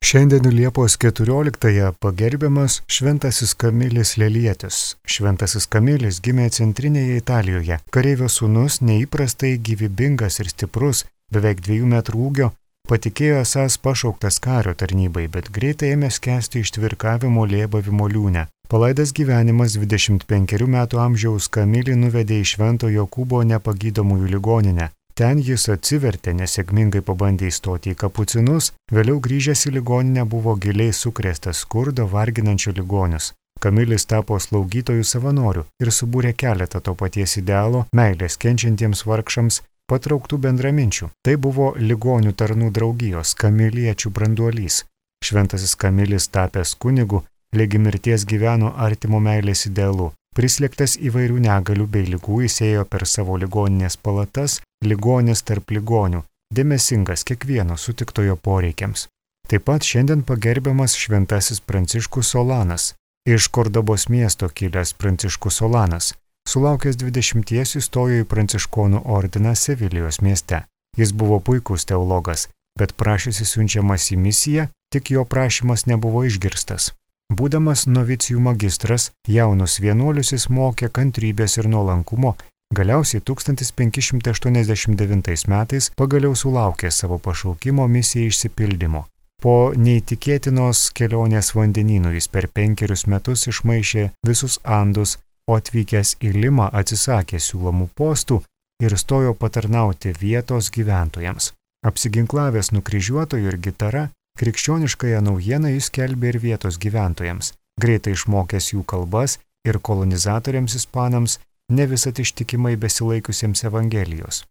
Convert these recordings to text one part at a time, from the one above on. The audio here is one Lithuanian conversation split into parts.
Šiandien Liepos 14-ąją pagerbiamas Šventasis Kamilis Lelietis. Šventasis Kamilis gimė centrinėje Italijoje. Kareivio sūnus, neįprastai gyvybingas ir stiprus, beveik 2 metrų ūgio, patikėjo esąs pašauktas kario tarnybai, bet greitai ėmė skęsti ištvirkavimo lėbavimo liūne. Palaidas gyvenimas 25 metų amžiaus Kamilį nuvedė į Švento Jokūbo nepagydomųjų ligoninę. Ten jis atsivertė, nesėkmingai pabandė įstoti į kapucinus, vėliau grįžęs į ligoninę buvo giliai sukrėstas skurdo varginančių ligonius. Kamilis tapo slaugytojų savanorių ir subūrė keletą to paties idealo meilės kenčiantiems vargšams patrauktų bendraminčių. Tai buvo ligonių tarnų draugijos kamiliečių branduolys. Šventasis Kamilis tapęs kunigu, ligi mirties gyveno artimo meilės idealu. Prislėgtas įvairių negalių bei ligų jis ėjo per savo ligoninės palatas, ligonis tarp ligonių, dėmesingas kiekvieno sutiktojo poreikiams. Taip pat šiandien pagerbiamas Šventasis Pranciškus Solanas. Iš Kordobos miesto kilęs Pranciškus Solanas. Sulaukęs 20 įstojo į Pranciškonų ordiną Sevilijos mieste. Jis buvo puikus teologas, bet prašėsi siunčiamas į misiją, tik jo prašymas nebuvo išgirstas. Būdamas novicijų magistras, jaunus vienuolius jis mokė kantrybės ir nuolankumo, galiausiai 1589 metais pagaliau sulaukė savo pašaukimo misijai išsipildymo. Po neįtikėtinos kelionės vandenynų jis per 5 metus išmaišė visus Andus, o atvykęs į Limą atsisakė siūlomų postų ir stojo patarnauti vietos gyventojams. Apsiginklavęs nukryžiuotojų ir gitara, krikščioniškąją naujieną jis skelbė ir vietos gyventojams, greitai išmokęs jų kalbas ir kolonizatoriams ispanams, ne visat ištikimai besilaikiusiems Evangelijos.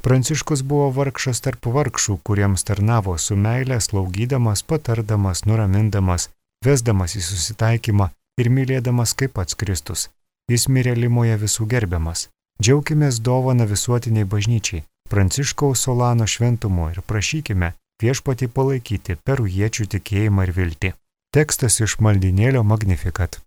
Pranciškus buvo vargšas tarp vargšų, kuriems tarnavo su meile, slaugydamas, patardamas, nuramindamas, vesdamas į susitaikymą ir mylėdamas kaip pats Kristus. Jis mirė Limoje visų gerbiamas. Džiaukimės dovaną visuotiniai bažnyčiai, Pranciškaus Solano šventumo ir prašykime Viešpatį palaikyti perujiečių tikėjimą ir viltį. Tekstas iš maldynėlio Magnificat.